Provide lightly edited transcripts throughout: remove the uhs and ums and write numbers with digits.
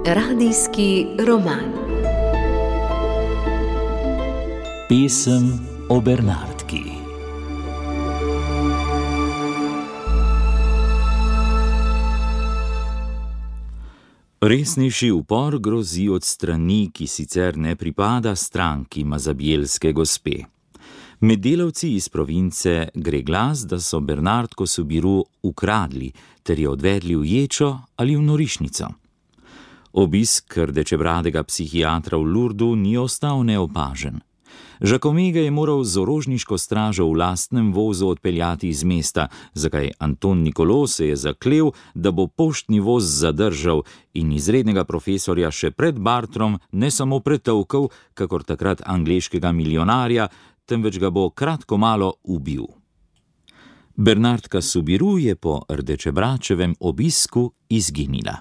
Radijski roman. Pesem o Bernardki. Resnejši upor grozi od strani, ki sicer ne pripada stranki mazabjelske gospe. Med delavci iz province gre glas, da so Bernardko Soubirous ukradli ter jo odvedli v ječo ali v norišnico. Obisk rdečebradega psihiatra v Lourdesu ni ostal neopažen. Jacome ga je moral z orožniško stražo v lastnem vozu odpeljati iz mesta, zakaj Anton Nicolau se je zaklel, da bo poštni voz zadržal in izrednega profesorja še pred Bartrom ne samo pretolkel, kakor takrat angleškega milijonarja, temveč ga bo kratko malo ubil. Bernardka Soubirous je po rdečebračevem obisku izginila.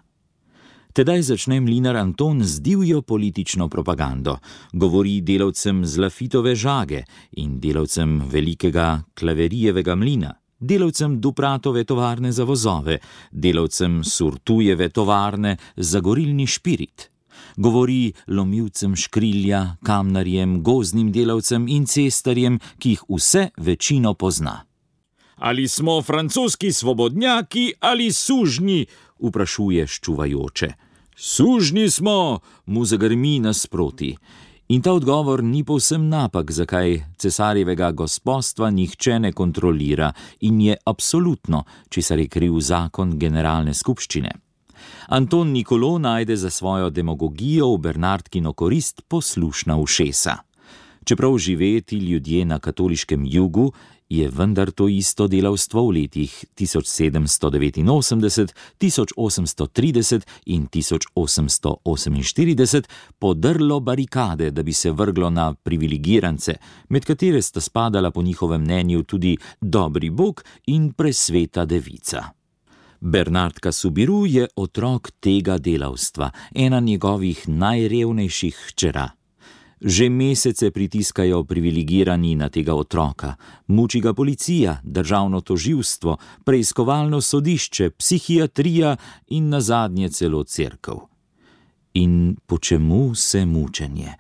Tedaj začne mlinar Anton z divjo politično propagando. Govori delavcem z Lafitove žage in delavcem velikega Klaverijevega mlina, delavcem Dupratove tovarne za vozove, delavcem Surtujeve tovarne za gorilni špirit. Govori lomilcem škrilja, kamnarjem, gozdnim delavcem in cestarjem, ki jih vse večino pozna. Ali smo francoski svobodnjaki ali sužnji, vprašuje ščuvajoče. Sužnji smo, mu zagrmi nasproti. In ta odgovor ni povsem napak, zakaj cesarjevega gospodstva nihče ne kontrolira in je absolutno, česar je kriv zakon generalne skupščine. Anton Nicolau najde za svojo demagogijo v Bernardkino korist poslušna ušesa. Čeprav živeti ljudje na katoliškem jugu, je vendar to isto delavstvo v letih 1789, 1830 in 1848 podrlo barikade, da bi se vrglo na privilegirance, med katere sta spadala po njihovem mnenju tudi dobri Bog in presveta devica. Bernardka Soubirous je otrok tega delavstva, ena njegovih najrevnejših hčera. Že mesece pritiskajo privilegirani na tega otroka, muči ga policija, državno tožilstvo, preiskovalno sodišče, psihiatrija in nazadnje celo cerkev. In po čemu se mučenje?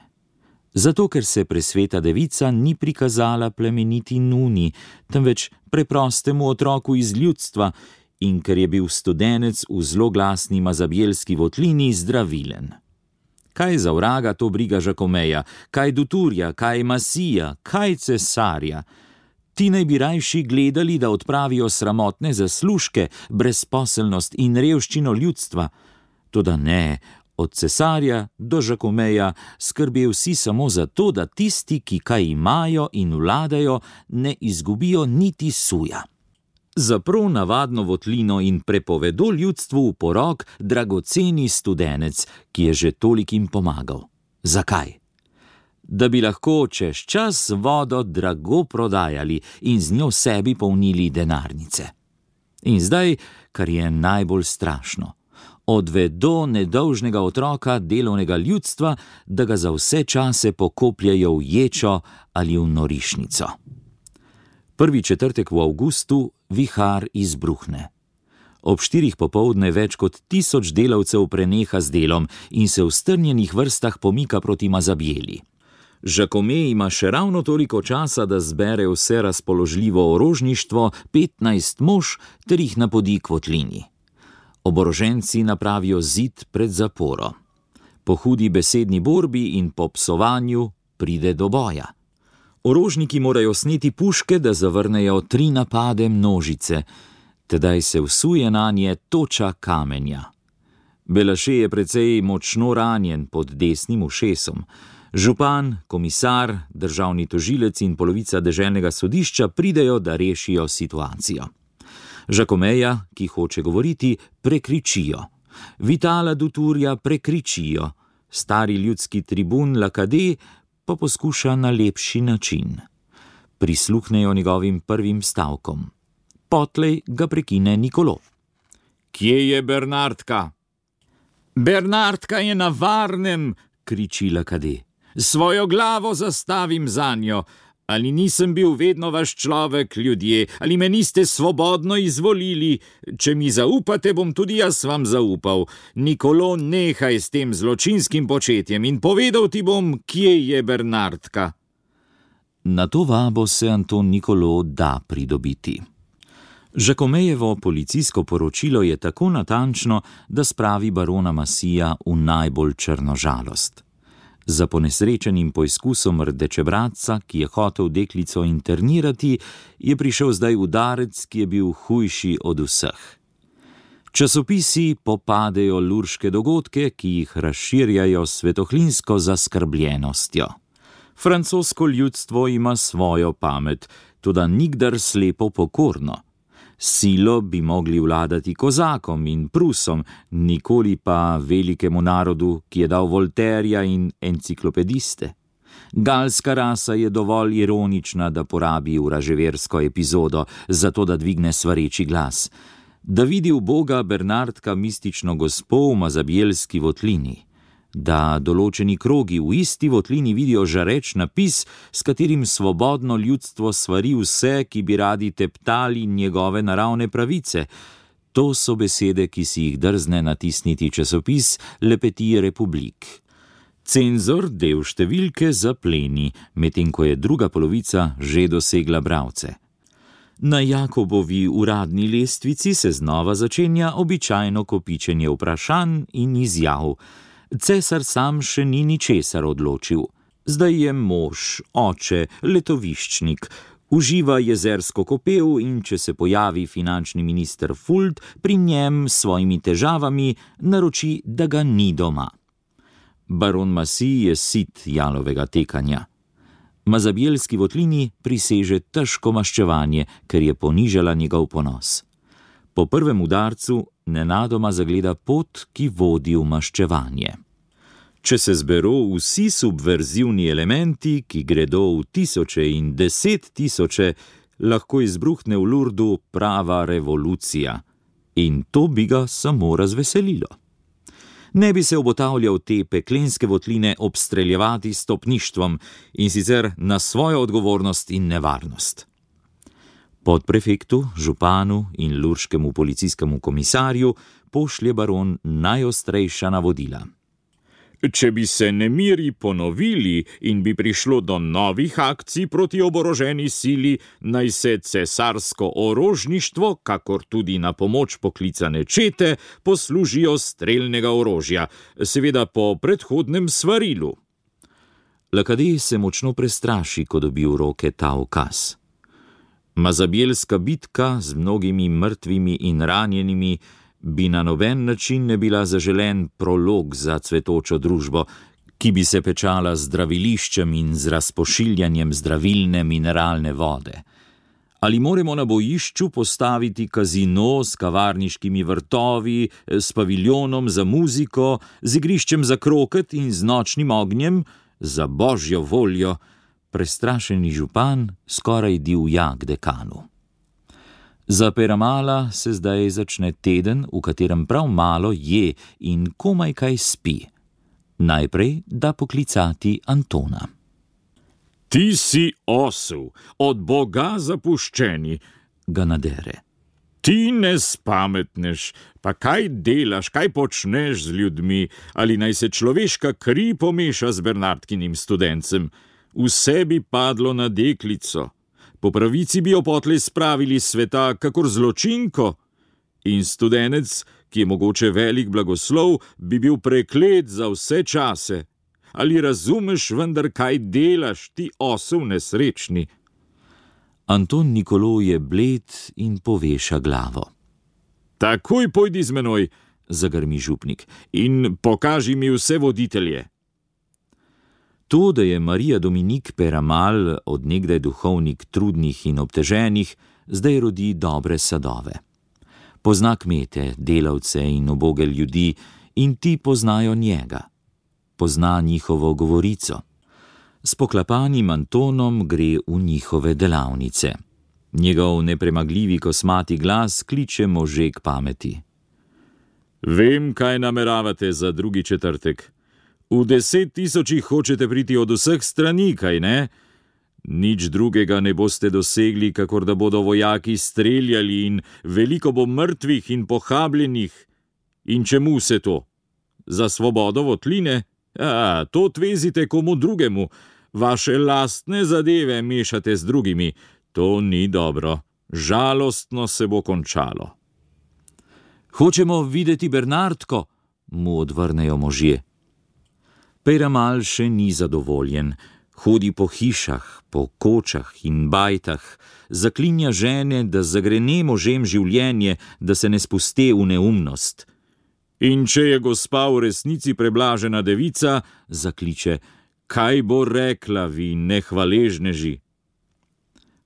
Zato, ker se presveta devica ni prikazala plemeniti nuni, temveč preprostemu otroku iz ljudstva in ker je bil studenec v zloglasni mazabjelski votlini zdravilen. Kaj za vraga to briga Jacomeja, kaj Dutourja, kaj Massija, kaj cesarja? Ti naj bi rajši gledali, da odpravijo sramotne zaslužke, brezposelnost in revščino ljudstva. Toda ne, od cesarja do Jacomeja skrbijo vsi samo za to, da tisti, ki kaj imajo in vladajo, ne izgubijo niti suja. Zapro navadno votlino in prepovedo ljudstvu v porok dragoceni studenec, ki je že tolikim pomagal. Zakaj? Da bi lahko čez čas vodo drago prodajali in z njo sebi polnili denarnice. In zdaj, kar je najbolj strašno, odvedo nedolžnega otroka delovnega ljudstva, da ga za vse čase pokopljajo v ječo ali v norišnico. Prvi četrtek v avgustu vihar izbruhne. Ob 4 popoldne več kot 1000 delavcev preneha z delom in se v strnjenih vrstah pomika proti Mazabjeli. Jacome ima še ravno toliko časa, da zbere vse razpoložljivo orožništvo, 15 mož, ter jih napodi k votlini. Oboroženci napravijo zid pred zaporo. Po hudi besedni borbi in po psovanju pride do boja. Orožniki morajo sneti puške, da zavrnejo 3 napade množice. Tedaj se vsuje nanje toča kamenja. Belaše je precej močno ranjen pod desnim ušesom. Župan, komisar, državni tožilec in polovica deželnega sodišča pridejo, da rešijo situacijo. Jacomeja, ki hoče govoriti, prekričijo. Vitala Dutourja prekričijo. Stari ljudski tribun Lacadé pa poskuša na lepši način. Prisluhnejo njegovim prvim stavkom. Potlej ga prekine Nicolau. Kje je Bernardka? Bernardka je na varnem, kriči Lacadé. Svojo glavo zastavim zanjo. Ali nisem bil vedno vaš človek, ljudje, ali me niste svobodno izvolili? Če mi zaupate, bom tudi jaz vam zaupal. Nikolo, nehaj s tem zločinskim početjem in povedal ti bom, kje je Bernardka. Na to vabo se Anton Nikolo da pridobiti. Žakomejevo policijsko poročilo je tako natančno, da spravi barona Massija v najbolj črno žalost. Za ponesrečenim poizkusom rdečebradca, ki je hotel deklico internirati, je prišel zdaj udarec, ki je bil hujši od vseh. Časopisi popadejo lurške dogodke, ki jih razširjajo s svetohlinsko zaskrbljenostjo. Francosko ljudstvo ima svojo pamet, toda nikdar slepo pokorno. Silo bi mogli vladati kozakom in Prusom, nikoli pa velikemu narodu, ki je dal Volterja in enciklopediste. Galska rasa je dovolj ironična, da porabi vraževersko epizodo, zato da dvigne svareči glas. Da vidi v Boga Bernardka mistično gospo v Mazabjelski votlini. Da določeni krogi v isti votlini vidijo žareč napis, s katerim svobodno ljudstvo svari vse, ki bi radi teptali njegove naravne pravice. To so besede, ki si jih drzne natisniti časopis Le Petit Republique. Cenzor del številke zapleni, medtem ko je druga polovica že dosegla bralce. Na Jakobovi uradni lestvici se znova začenja običajno kopičenje vprašanj in izjav. Cesar sam še ni ničesar odločil. Zdaj je mož, oče, letoviščnik, uživa jezersko kopel in če se pojavi finančni minister Fuld, pri njem s svojimi težavami naroči, da ga ni doma. Baron Massij je sit jalovega tekanja. Mazabjelski votlini priseže težko maščevanje, ker je ponižala njegov ponos. Po prvem udarcu nenadoma zagleda pot, ki vodi v maščevanje. Če se zberu vsi subverzivni elementi, ki gredo v tisoče in 10 000, lahko izbruhne v Lurdu prava revolucija. In to bi ga samo razveselilo. Ne bi se obotavljal te peklenske votline obstreljevati s stopništvom in sicer na svojo odgovornost in nevarnost. Podprefektu, županu in lurškemu policijskemu komisarju pošlje baron najostrejša navodila. Če bi se nemiri ponovili in bi prišlo do novih akcij proti oboroženi sili, naj se cesarsko orožništvo, kakor tudi na pomoč poklicane čete, poslužijo strelnega orožja, seveda po predhodnem svarilu. Lakadej se močno prestraši, ko dobi v roke ta ukaz. Mazabjelska bitka z mnogimi mrtvimi in ranjenimi bi na noben način ne bila zaželen prolog za cvetočo družbo, ki bi se pečala z zdraviliščem in z razpošiljanjem zdravilne mineralne vode. Ali moramo na bojišču postaviti kazino s kavarniškimi vrtovi, s paviljonom za muziko, z igriščem za kroket in z nočnim ognjem? Za božjo voljo! Prestrašeni župan skoraj divja k dekanu. Za Peramala se zdaj začne teden, v katerem prav malo je in komaj kaj spi. Najprej da poklicati Antona. Ti si osel, od Boga zapuščeni, ga nadere. Ti ne spametneš, pa kaj delaš, kaj počneš z ljudmi, ali naj se človeška kri pomeša z Bernardkinim studencem. Vse bi padlo na deklico. Po pravici bi jo potlej spravili sveta kakor zločinko. In studenec, ki je mogoče velik blagoslov, bi bil preklet za vse čase. Ali razumeš vendar, kaj delaš, ti osel nesrečni? Anton Nikolo je bled in poveša glavo. Takoj pojdi z menoj, zagrmi župnik, in pokaži mi vse voditelje. To, da je Marija Dominik Peramal od nekdaj duhovnik trudnih in obteženih, zdaj rodi dobre sadove. Pozna kmete, delavce in uboge ljudi in ti poznajo njega. Pozna njihovo govorico. S poklapanim Antonom gre v njihove delavnice. Njegov nepremagljivi kosmati glas kliče može k pameti. Vem, kaj nameravate za drugi četrtek. V 10 000 hočete priti od vseh strani, kaj ne? Nič drugega ne boste dosegli, kakor da bodo vojaki streljali in veliko bo mrtvih in pohabljenih. In čemu se to? Za svobodo votline? To tvezite komu drugemu. Vaše lastne zadeve mešate z drugimi. To ni dobro. Žalostno se bo končalo. Hočemo videti Bernardko, mu odvrnejo možje. Peyramal še ni zadovoljen. Hodi po hišah, po kočah in bajtah, zaklinja žene, da zagrene možem življenje, da se ne spuste v neumnost. In če je gospa v resnici preblažena devica, zakliče, kaj bo rekla, vi nehvaležneži?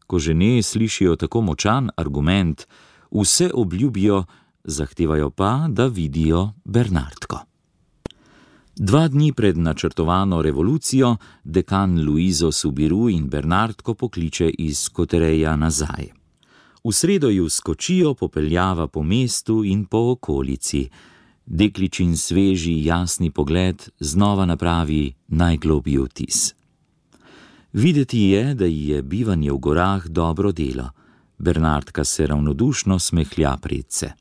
Ko žene slišijo tako močan argument, vse obljubijo, zahtevajo pa, da vidijo Bernardko. 2 dni pred načrtovano revolucijo dekan Luizo Subiru in Bernardko pokliče iz Kotereja nazaj. V sredo ju skočijo, popeljava po mestu in po okolici. Dekličin sveži, jasni pogled znova napravi najglobji vtis. Videti je, da ji je bivanje v gorah dobro delo. Bernardka se ravnodušno smehlja predse.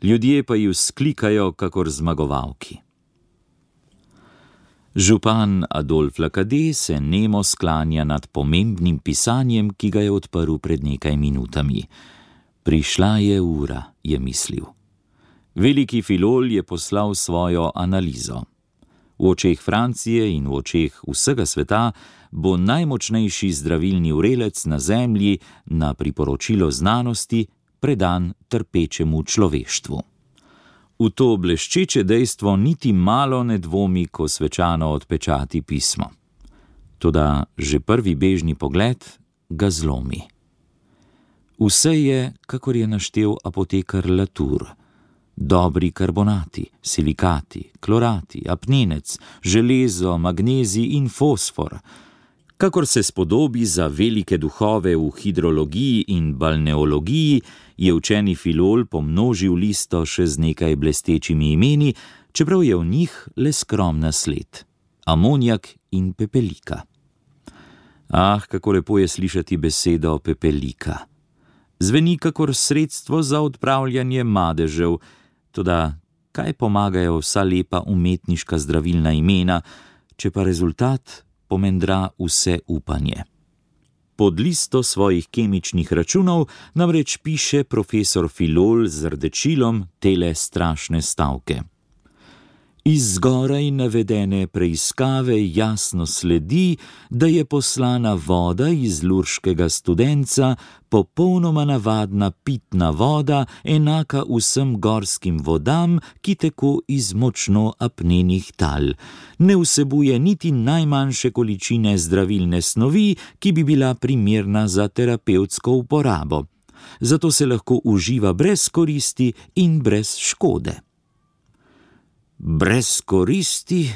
Ljudje pa ju sklikajo kakor zmagovalki. Župan Adolf Lacadé se nemo sklanja nad pomembnim pisanjem, ki ga je odprl pred nekaj minutami. Prišla je ura, je mislil. Veliki filol je poslal svojo analizo. V očeh Francije in v očeh vsega sveta bo najmočnejši zdravilni vrelec na zemlji na priporočilo znanosti predan trpečemu človeštvu. V to bleščeče dejstvo niti malo ne dvomi, ko svečano odpečati pismo. Toda že prvi bežni pogled ga zlomi. Vse je, kakor je naštel apotekar Latour. Dobri karbonati, silikati, klorati, apnenec, železo, magnezij in fosfor. Kakor se spodobi za velike duhove v hidrologiji in balneologiji, je učeni filol pomnožil listo še z nekaj blestečimi imeni, čeprav je v njih le skromna sled. Amonijak in pepelika. Kako lepo je slišati besedo pepelika. Zveni kakor sredstvo za odpravljanje madežev, toda kaj pomagajo vsa lepa umetniška zdravilna imena, če pa rezultat pomendra vse upanje. Pod listo svojih kemičnih računov namreč piše profesor Filol z rdečilom tele strašne stavke. Iz zgoraj navedene preiskave jasno sledi, da je poslana voda iz lurškega studenca popolnoma navadna pitna voda, enaka vsem gorskim vodam, ki teku iz močno apnenih tal. Ne vsebuje niti najmanjše količine zdravilne snovi, ki bi bila primerna za terapevtsko uporabo. Zato se lahko uživa brez koristi in brez škode. Brez koristi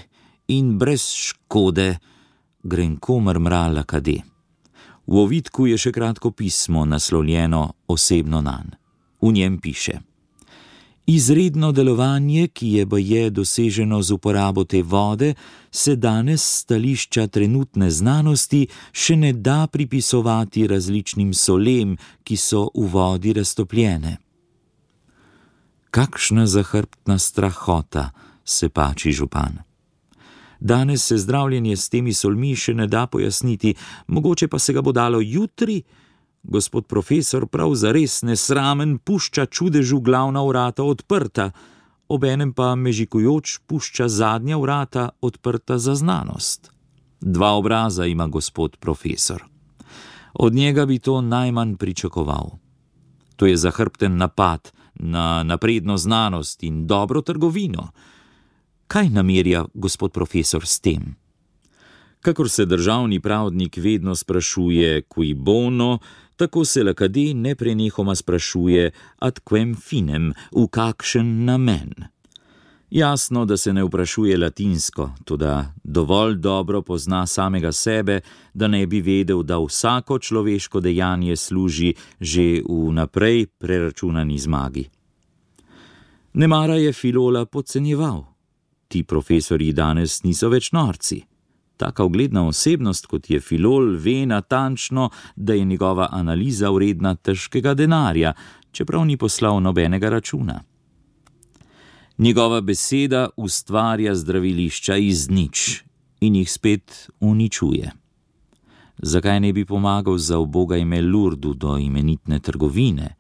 in brez škode, grenko mrmra Lacadé. V ovitku je še kratko pismo, naslovljeno osebno nanj. V njem piše: Izredno delovanje, ki je baje doseženo z uporabo te vode, se danes s stališča trenutne znanosti še ne da pripisovati različnim solem, ki so v vodi raztopljene. Kakšna zahrbtna strahota, se pači župan. Danes se zdravljenje s temi solmi še ne da pojasniti, mogoče pa se ga bo dalo jutri. Gospod profesor prav zares nesramen pušča čudežu glavna vrata odprta, obenem pa mežikujoč pušča zadnja vrata odprta za znanost. 2 obraza ima gospod profesor. Od njega bi to najmanj pričakoval. To je zahrbten napad na napredno znanost in dobro trgovino. Kaj namerja gospod profesor s tem? Kakor se državni pravdnik vedno sprašuje cui bono, tako se Lacadé neprenehoma sprašuje ad quem finem, v kakšen namen. Jasno, da se ne vprašuje latinsko, toda dovolj dobro pozna samega sebe, da ne bi vedel, da vsako človeško dejanje služi že v naprej preračunani zmagi. Nemara je Filola podcenjeval. Ti profesorji danes niso več norci. Taka ugledna osebnost, kot je Filol, ve natančno, da je njegova analiza vredna težkega denarja, čeprav ni poslal nobenega računa. Njegova beseda ustvarja zdravilišča iz nič in jih spet uničuje. Zakaj ne bi pomagal za uboga ime Lurdu do imenitne trgovine?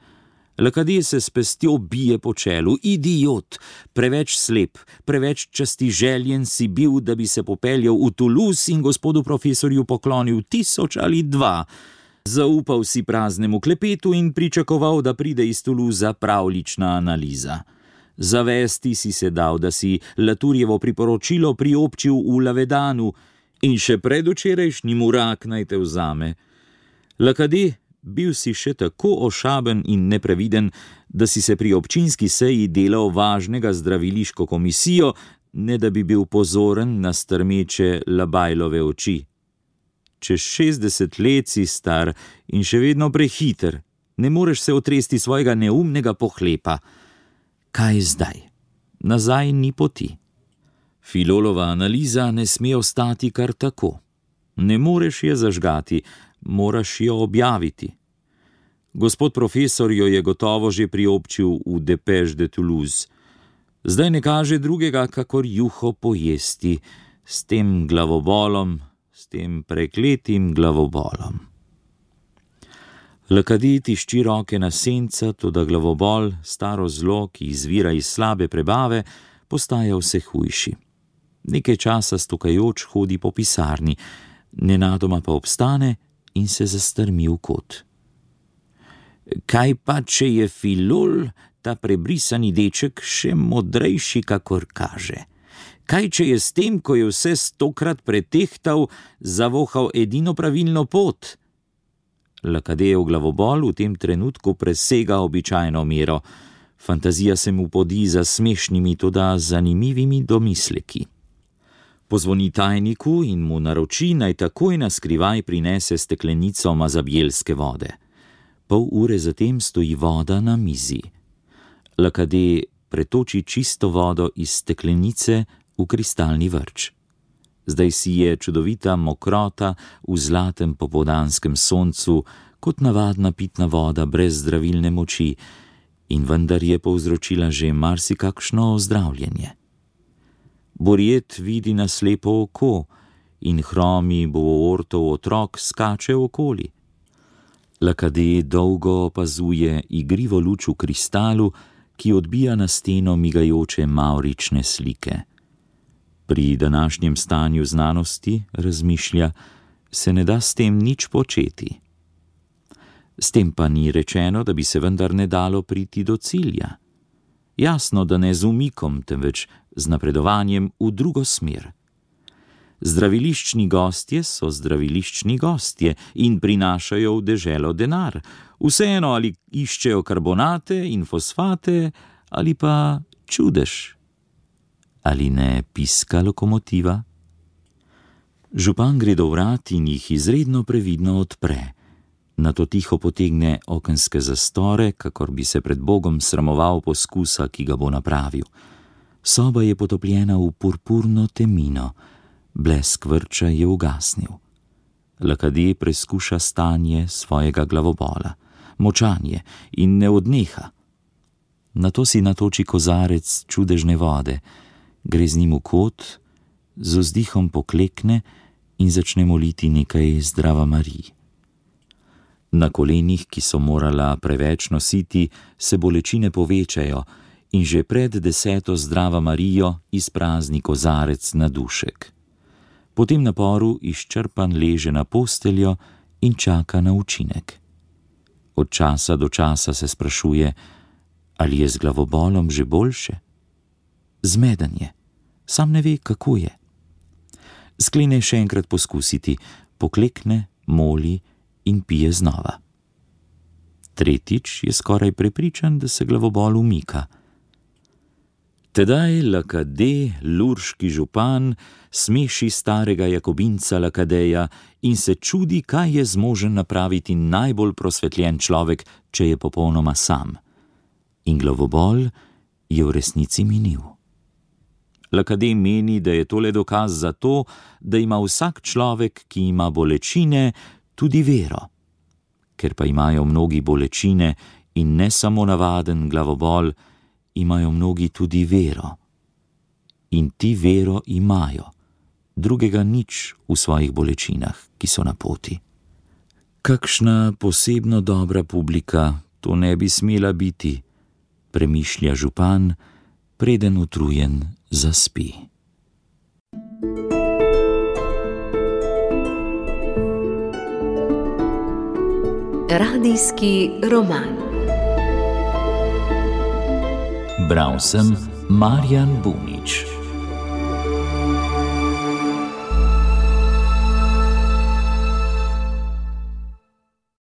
Lakadije se s pestjo bije po čelu. Idiot, preveč slep, preveč častiželjen si bil, da bi se popeljal v Toulouse in gospodu profesorju poklonil 1000 ali 2. Zaupal si praznemu klepetu in pričakoval, da pride iz Toulousea pravlična analiza. Zavesti si se dal, da si Laturjevo priporočilo priobčil v Lavedanu in še predvčerajšnjim urak naj te vzame. Lakadije, bil si še tako ošaben in nepreviden, da si se pri občinski seji delal važnega zdraviliško komisijo, ne da bi bil pozoren na strmeče Labajlove oči. Čez 60 let si star in še vedno prehiter, ne moreš se otresti svojega neumnega pohlepa. Kaj zdaj? Nazaj ni poti. Filolova analiza ne sme ostati kar tako. Ne moreš je zažgati, moraš jo objaviti. Gospod profesor jo je gotovo že priobčil v Dépêche de Toulouse. Zdaj ne kaže drugega, kakor juho pojesti, s tem glavobolom, s tem prekletim glavobolom. Lakadije tišči roke na senca, toda glavobol, staro zlo, ki izvira iz slabe prebave, postaja vse hujši. Nekaj časa stokajoč hodi po pisarni, nenadoma pa obstane in se zastrmi v kot. Kaj pa, če je Filol, ta prebrisani deček, še modrejši, kakor kaže? Kaj, če je s tem, ko je vse 100-krat pretehtal, zavohal edino pravilno pot? Lakadejev glavobol v tem trenutku presega običajno mero. Fantazija se mu podi za smešnimi, toda zanimivimi domisleki. Pozvoni tajniku in mu naroči, naj takoj na skrivaj prinese steklenico mazabjelske vode. Pol ure zatem stoji voda na mizi. Lakadije pretoči čisto vodo iz steklenice v kristalni vrč. Zdaj si je čudovita mokrota v zlatem popoldanskem soncu, kot navadna pitna voda brez zdravilne moči, in vendar je povzročila že marsikakšno ozdravljenje. Borjet vidi na slepo oko in hromi bovortov otrok skače okoli. Lakadije dolgo opazuje igrivo luč v kristalu, ki odbija na steno migajoče mavrične slike. Pri današnjem stanju znanosti, razmišlja, se ne da s tem nič početi. S tem pa ni rečeno, da bi se vendar ne dalo priti do cilja. Jasno, da ne z umikom, temveč z napredovanjem v drugo smer. Zdraviliščni gostje so zdraviliščni gostje in prinašajo v deželo denar. Vseeno, ali iščejo karbonate in fosfate, ali pa čudež. Ali ne piska lokomotiva? Župan gre do vrat in jih izredno previdno odpre. Nato tiho potegne okenske zastore, kakor bi se pred Bogom sramoval poskusa, ki ga bo napravil. Soba je potopljena v purpurno temino, blesk vrča je ugasnil. Lakadije preskuša stanje svojega glavobola, močanje, in ne odneha. Nato si natoči kozarec čudežne vode, gre z njim v kot, z vzdihom poklekne in začne moliti nekaj Zdrava Mariji. Na kolenih, ki so morala preveč nositi, se bolečine povečajo in že pred 10. Zdrava Marijo izprazni kozarec na dušek. Po tem naporu izčrpan leže na posteljo in čaka na učinek. Od časa do časa se sprašuje, ali je z glavobolom že boljše. Zmeden je, sam ne ve, kako je. Sklene še enkrat poskusiti, poklekne, moli in pije znova. Tretjič je skoraj prepričan, da se glavobol umika. Tedaj Lakadije, lurški župan, smeši starega jakobinca Lakadeja in se čudi, kaj je zmožen napraviti najbolj prosvetljen človek, če je popolnoma sam. In glavobol je v resnici minil. Lakadé meni, da je tole dokaz za to, da ima vsak človek, ki ima bolečine, tudi vero. Ker pa imajo mnogi bolečine in ne samo navaden glavobol, imajo mnogi tudi vero. In ti vero imajo, drugega nič v svojih bolečinah, ki so na poti. Kakšna posebno dobra publika to ne bi smela biti, premišlja župan, preden utrujen zaspi. Radijski roman. Bral sem Marjan Bunič.